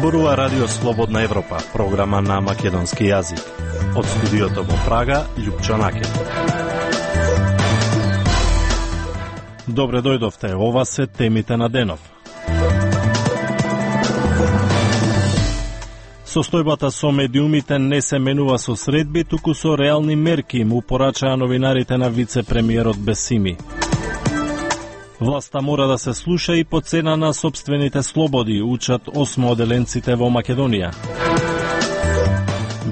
Зборува Радио Слободна Европа, програма на македонски јазик. Од студиото во Прага, Љупчо Накет. Добре дојдовте, ова се темите на денов. Состојбата со медиумите не се менува со средби, туку со реални мерки, му порачаа новинарите на вице-премиерот Бесими. Власта мора да се слуша и по цена на сопствените слободи, учат осмооделенците во Македонија.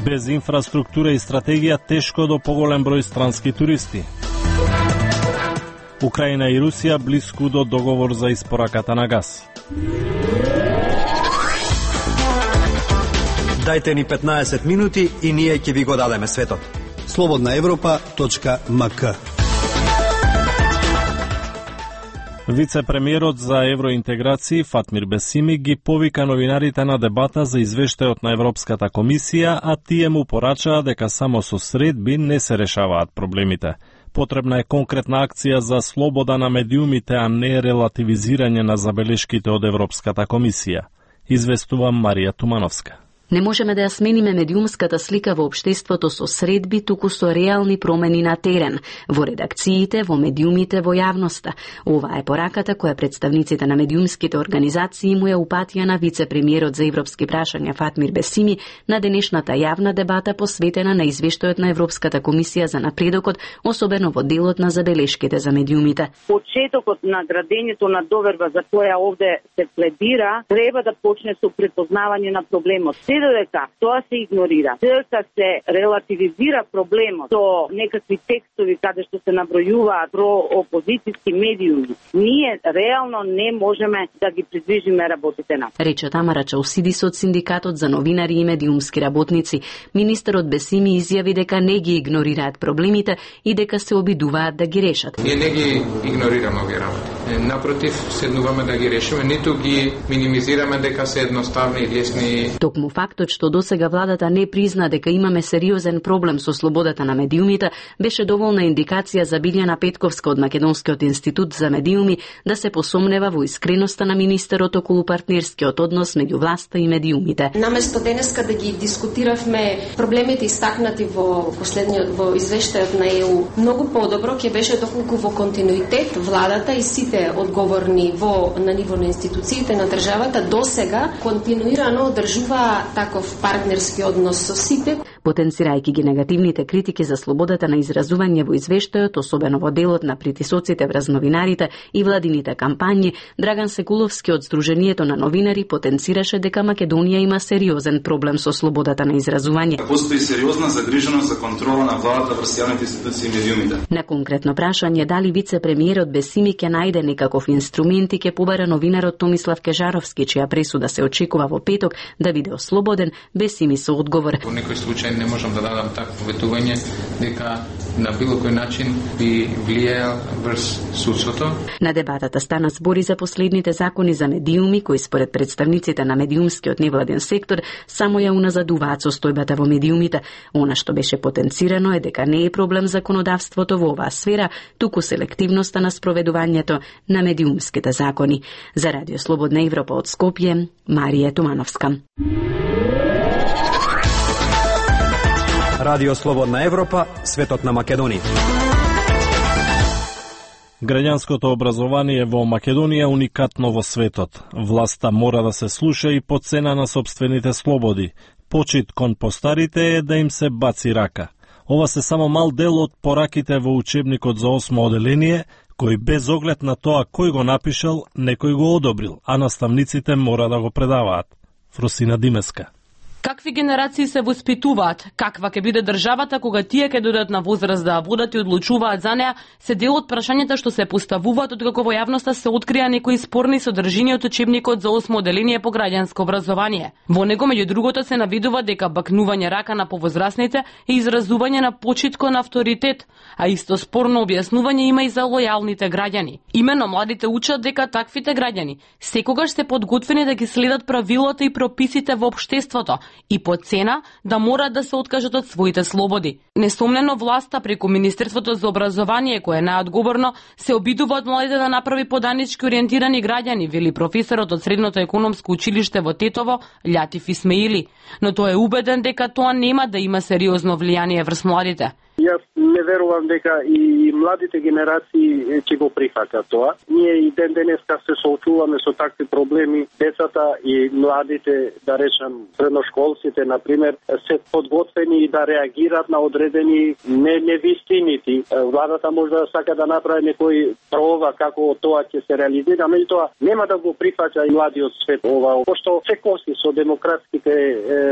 Без инфраструктура и стратегија тешко до поголем број странски туристи. Украина и Русија блиску до договор за испораката на газ. Дајте ни 15 минути и ние ќе ви го дадеме светот. slobodnaevropa.mk. Вице-премиерот за евроинтеграција Фатмир Бесими ги повика новинарите на дебата за извештајот на Европската комисија, а тие му порачаа дека само со средби не се решаваат проблемите. Потребна е конкретна акција за слобода на медиумите, а не релативизирање на забелешките од Европската комисија. Известува Марија Тумановска. Не можеме да ја смениме медиумската слика во општеството со средби, туку со реални промени на терен, во редакциите, во медиумите, во јавноста. Ова е пораката која представниците на медиумските организации му ја упатија на вице-премиерот за европски прашања Фатмир Бесими на денешната јавна дебата посветена на извештајот на Европската комисија за напредокот, особено во делот на забелешките за медиумите. Почетокот на градењето на доверба за која овде се пледира треба да почне со препознавање на проблемот. Додека тоа се игнорира, додека се релативизира проблемот со некакви текстови каде што се набројуваат проопозицијски медиуми, ние реално не можеме да ги придвижиме работите на. Рече Тамара Чаусидис од Синдикатот за новинари и медиумски работници. Министерот Бесими изјави дека не ги игнорираат проблемите и дека се обидуваат да ги решат. Ние не ги игнорираме овие работи. Напротив, седнуваме да ги решиме, ниту ги минимизираме дека се едноставни и лесни. Токму фактот што досега владата не призна дека имаме сериозен проблем со слободата на медиумите беше доволна индикација за Билјана Петковска од Македонскиот институт за медиуми да се посомнева во искреноста на министерот околу партнерскиот однос меѓу власта и медиумите. Наместо денеска да ги дискутиравме проблемите истакнати во извештајот на ЕУ, многу подобро ќе беше доколку во континуитет владата и сите одговорни на ниво на институциите на државата досега континуирано одржува таков партнерски однос со сите. Потенцирајќи ги негативните критики за слободата на изразување во извештајот, особено во делот на притисоците врз новинарите и владините кампањи, Драган Секуловски од Сдруженијето на новинари потенцираше дека Македонија има сериозен проблем со слободата на изразување. Постои сериозна загриженост за контрола на владата врз јавните институции и медиумите. На конкретно прашање дали вице-премиерот Бесими ќе најде некаков инструмент и ќе побара новинарот Томислав Кежаровски, чија пресуда се очекува во петок, да биде ослободен, Бесими со одговор. Во некој случај не можам да дадам такво ветување дека на било кој начин би влијаел врз судството. На дебатата стана збори за последните закони за медиуми кои според представниците на медиумскиот невладен сектор само ја уназадуваат состојбата во медиумите. Она што беше потенцирано е дека не е проблем законодавството во оваа сфера, туку селективноста на спроведувањето на медиумските закони. За Радио Слободна Европа од Скопје, Марија Тумановска. Радио Слободна Европа, светот на Македонија. Граѓанското образование во Македонија е уникатно во светот. Власта мора да се слуша и по цена на сопствените слободи. Почит кон постарите е да им се баци рака. Ова се само мал дел од пораките во учебникот за 8 оделение, кој без оглед на тоа кој го напишал, некој го одобрил, а наставниците мора да го предаваат. Фросина Димеска. Какви генерации се воспитуваат, каква ќе биде државата кога тие ќе додат на возраст да водат и одлучуваат за неа, се дел од прашањата што се поставуваат откако во јавноста се открија некои спорни содржини од учебникот за 8 оделение по граѓанско образование. Во него меѓу другото се навидува дека бакнување рака на повозрасните е изразување на почит кон авторитет, а исто спорно објаснување има и за лојалните граѓани. Имено младите учат дека таквите граѓани секогаш се подготвени да ги следат правилата и прописите во општеството, и по цена да мора да се откажат од своите слободи. Несомнено власта преку Министерството за образование, кое е најодговорно, се обидува од младите да направи поданички ориентирани граѓани, вели професорот од Средното економско училиште во Тетово, Лјатиф Исмаили. Но тој е убеден дека тоа нема да има сериозно влијание врз младите. Јас не верувам дека и младите генерации ќе го прифатат тоа. Ние и ден денеска се соочуваме со такви проблеми. Децата и младите, да речам, средношколците, например, се подготвени и да реагират на одредени невистини. Владата може да сака да направи некој проба како тоа ќе се реализира, меѓутоа нема да го прифаќа и младиот свет ова, пошто се коси со демократските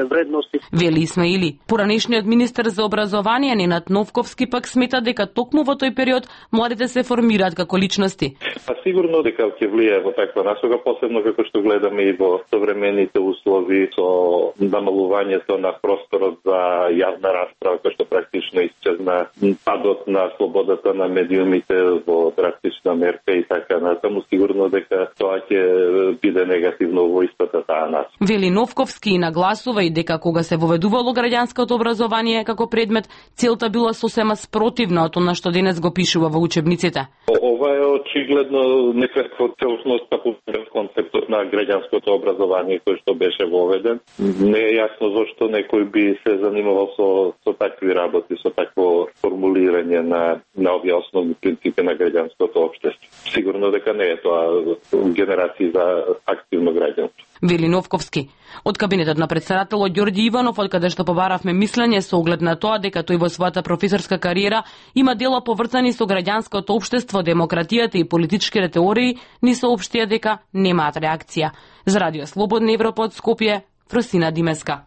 вредности. Вели Исмаили. Поранешниот министер за образование Ненад Новковски пак смета дека токму во тој период младите се формираат како личности. Сигурно дека ќе влијае во таква насока, посебно како што гледаме и во современите услови со намалувањето на просторот за јавна расправа, кој што практично исчезна, падот на слободата на медиумите во драстична мерка и така натаму, сигурно дека тоа ќе биде негативно во истата таа нас. Вели Новковски и нагласува и дека кога се воведувало граѓанското образование како предмет, целта била сосема спротивна од она што денес го пишува во учебниците. Ова е очигледно некаква целосноста по концептот на граѓанското образование кој што беше воведен. Не е јасно зошто некој би се занимавал со такви работи, со такво формулирање на овие основни принципи на граѓанското општество. Сигурно дека не е тоа генерација за активно граѓанство. Вели Новковски. Од кабинетот на претседателот Ѓорѓи Иванов, од каде што побаравме мислење со оглед на тоа дека тој во својата професорска кариера има дела поврзани со граѓанското општество, демократијата и политичките теории, ни соопштија дека немаат реакција. За Радио Слободна Европа од Скопје, Фросина Димеска.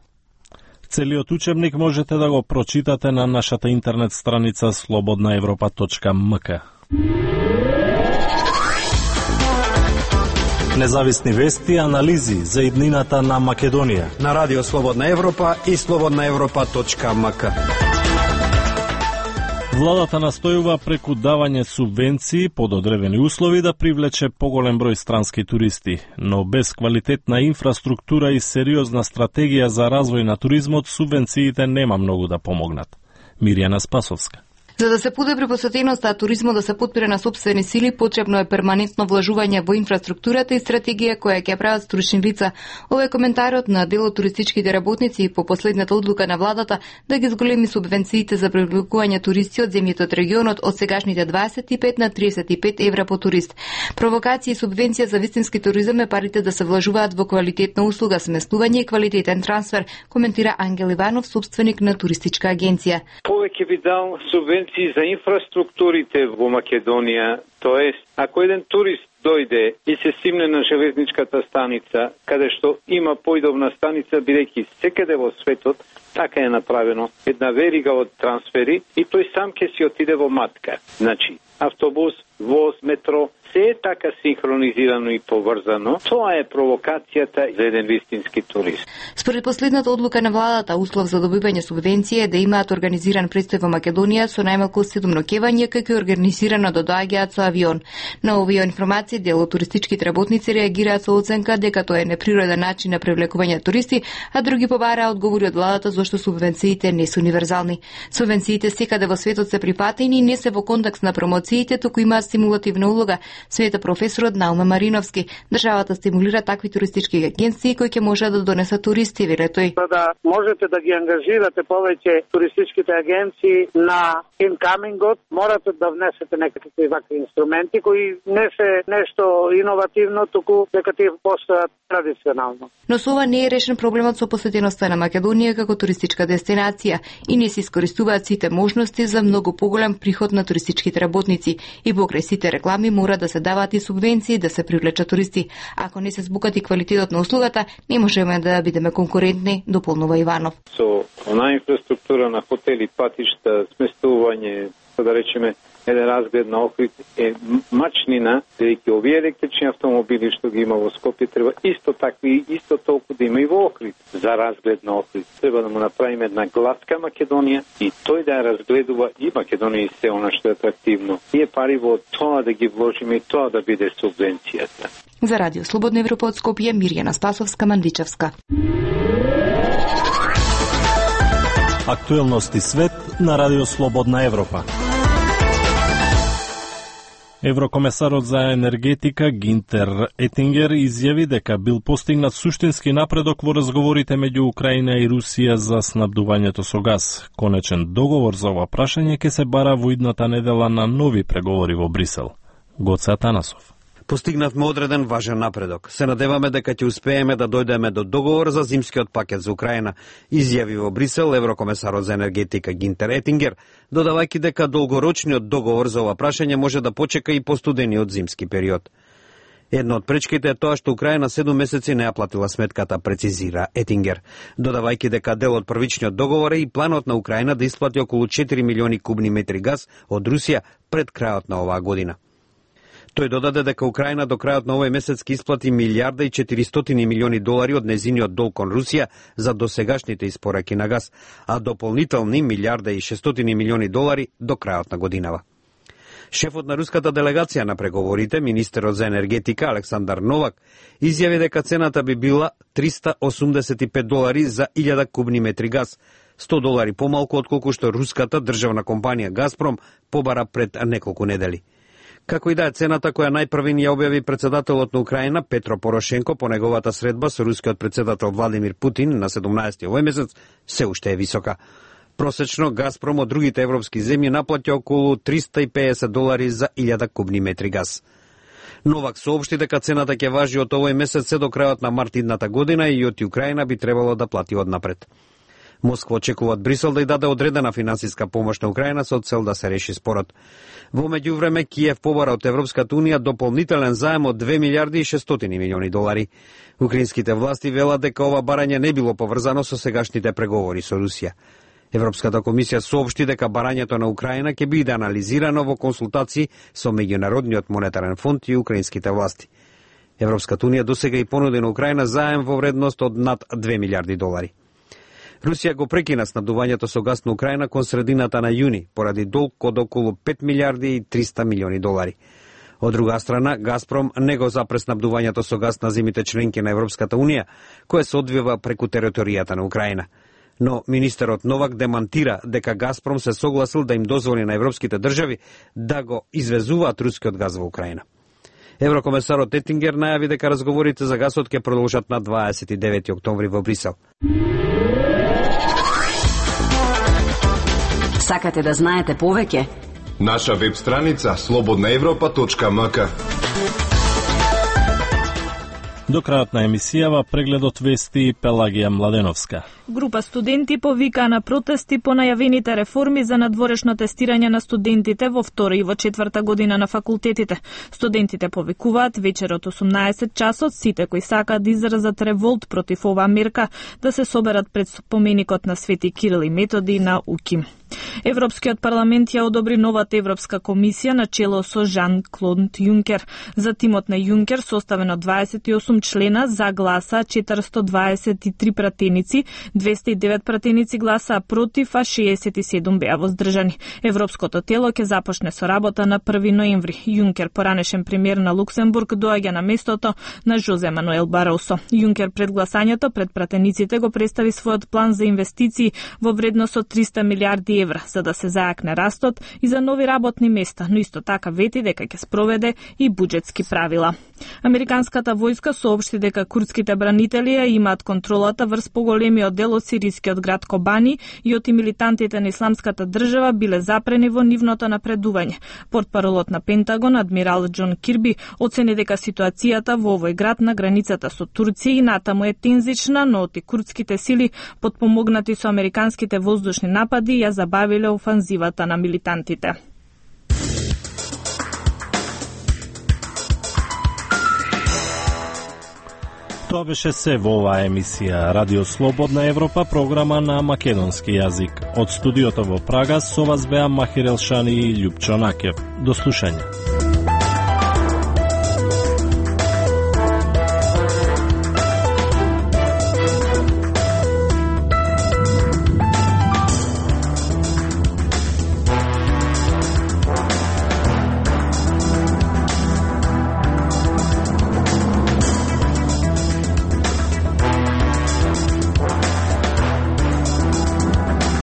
Целиот учебник можете да го прочитате на нашата интернет страница slobodnaevropa.mk. Независни вести, анализи за иднината на Македонија на Радио Слободна Европа и slobodnaevropa.mk. Владата настојува преку давање субвенции под одредени услови да привлече поголем број странски туристи, но без квалитетна инфраструктура и сериозна стратегија за развој на туризмот, субвенциите нема многу да помогнат. Мирјана Спасовска. За да се подобри посетеноста, а туризмот да се подпира на сопствени сили, потребно е перманентно вложување во инфраструктурата и стратегија која ќе прават стручни лица. Ова е коментарот на дел од туристичките работници по последната одлука на владата да ги зголеми субвенциите за привлекување туристи од земјите од регионот од сегашните 25 на 35 евра по турист. Провокација и субвенција за вистински туризам е парите да се вложуваат во квалитетна услуга, сместување и квалитетен трансфер, коментира Ангел Иванов, собственик на туристичка агенција. Повеќе би дал субвенција за инфраструктурите во Македонија, тоест, ако еден турист дојде и се симне на железничката станица, каде што има поидобна станица, бидејќи секаде во светот така е направено, една верига од трансфери и тој сам ќе си отиде во матка. Значи, автобус, воз, метро, се е така синхронизирано и поврзано. Тоа е провокацијата за еден вистински турист. Според последната одлука на владата, услов за добивање субвенција е да имаат организиран престој во Македонија со најмалку 7 ноќевања, како и организирано да доаѓаат со авион. На овие информации дел од туристичките работници реагираат со оценка дека тоа е неприроден начин на привлекување туристи, а други побараа одговори од владата зашто субвенциите не се универзални. Субвенциите секаде во светот се припатени и не се во контекст на промоциите, туку имаат стимулативна улога, смета професорот Науме Мариновски. Државата стимулира такви туристички агенции кои ќе можат да донесат туристи, вели тој. За да можете да ги ангажирате повеќе туристичките агенции на инкамингот, морате да внесете некакви вакви инструменти кои не се нешто иновативно, туку дека тие постојат традиционално. Но со ова не е решен проблемот со посетеноста на Македонија како туристичка дестинација и не се искористуваат сите можности за многу поголем приход на туристичките работници и покрај сите реклами мора да се даваат и субвенции да се привлечат туристи. Ако не се збукати квалитетот на услугата, не можеме да бидеме конкурентни, дополнува Иванов. Со она инфраструктура на хотели, патишта, сместување, да речеме, еден разглед на Охрид е мачнина, дека овие електрични автомобили што ги има во Скопје треба исто такви, исто толку да има и во Охрид. За разглед на Охрид треба да му направиме една гласка Македонија и тој да ја разгледува и Македонија и се она што е атрактивно. Ние пари во тоа да ги вложиме и тоа да биде субвенцијата. За Радио Слободна Европа од Скопје, Мирјана Спасовска, Мандичевска. Актуелности свет на Радио Слободна Европа. Еврокомесарот за енергетика Гинтер Етингер изјави дека бил постигнат суштински напредок во разговорите меѓу Украина и Русија за снабдувањето со газ. Конечен договор за ова прашање ќе се бара во идната недела на нови преговори во Брисел. Гоце Атанасов. Постигнавме одреден важен напредок. Се надеваме дека ќе успееме да дојдеме до договор за зимскиот пакет за Украина, изјави во Брисел еврокомесарот за енергетика Гинтер Етингер, додавајќи дека долгорочниот договор за ова прашање може да почека и постудениот зимски период. Една од пречките е тоа што Украина 7 месеци не ја платила сметката, прецизира Етингер, додавајќи дека дел од првичниот договор е и планот на Украина да исплати околу 4 милиони кубни метри газ од Русија пред крајот на оваа година. Тој додаде дека Украина до крајот на овој месец ќе исплати милијарда и 400 милиони долари од незиниот долг кон Русија за досегашните испораки на газ, а дополнителни милијарда и 600 милиони долари до крајот на годинава. Шефот на руската делегација на преговорите, министерот за енергетика Александар Новак, изјави дека цената би била $385 за 1000 кубни метри газ, $100 помалку отколку што руската државна компанија Газпром побара пред неколку недели. Како и да е, цената која најпрвин ја објави председателот на Украина Петро Порошенко по неговата средба со рускиот председател Владимир Путин на 17 овој месец се уште е висока. Просечно Газпром од другите европски земји наплаќа околу $350 за 1000 кубни метри газ. Новак соопшти дека цената ќе важи од овој месец се до крајот на март идната година и од Украина би требало да плати однапред. Москва очекува од Брисел да ја даде одредена финансиска помош на Украина со цел да се реши спорот. Во меѓувреме Киев побара од Европската унија дополнителен заем од 2 милијарди и 600 милиони долари. Украинските власти велат дека ова барање не било поврзано со сегашните преговори со Русија. Европската комисија соопшти дека барањето на Украина ќе биде анализирано во консултации со Меѓународниот монетарен фонд и украинските власти. Европската унија досега и понуди на Украина заем во вредност од над 2 милијарди долари. Русија го прекина снабдувањето со газ на Украина кон средината на јуни, поради долг од околу 5 милијарди и 300 милиони долари. Од друга страна, Газпром не го запре снабдувањето со газ на земјите членки на Европската унија, кое се одвива преку територијата на Украина. Но министерот Новак демантира дека Газпром се согласил да им дозволи на европските држави да го извезуваат рускиот газ во Украина. Еврокомесарот Етингер најави дека разговорите за газот ќе продолжат на 29 октомври во Брисел. Сакате да знаете повеќе? Наша веб страница slobodnaevropa.mk. До крајот на емисијава прегледот вести Пелагија Младеновска. Група студенти повика на протести по најавените реформи за надворешно тестирање на студентите во втора и во четврта година на факултетите. Студентите повикуваат вечерот 18 часот сите кои сакаат да изразат револт против оваа мерка да се соберат пред споменикот на Свети Кирил и Методи на УКИМ. Европскиот парламент ја одобри новата Европска комисија на чело со Жан-Клод Јункер. За тимот на Јункер, составен од 28 члена, за гласа 423 пратеници, 209 пратеници гласаа против, а 67 беа воздржани. Европското тело ќе започне со работа на 1 ноември. Јункер, поранешен премиер на Луксембург, доаѓа на местото на Жозе Мануел Баросо. Јункер пред гласањето пред пратениците го представи својот план за инвестиции во вредност од 300 милиарди евра, за да се зајакне растот и за нови работни места, но исто така вети дека ќе спроведе и буџетски правила. Американската војска соопшти дека курдските бранители ја имаат контролата врз поголемиот дел од сирискиот град Кобани и од милитантите на Исламската држава биле запрени во нивното напредување. Портпаролот на Пентагон, адмирал Џон Кирби, оцени дека ситуацијата во овој град на границата со Турција и натаму е тензична, но и курдските сили, потпомогнати со американските воздушни напади, ја забавиле офанзивата на милитантите. Тоа беше се во оваа емисија Радио Слободна Европа, програма на македонски јазик. Од студиото во Прага со вас беа Махир Елшани и Љупчо Накев. До слушање.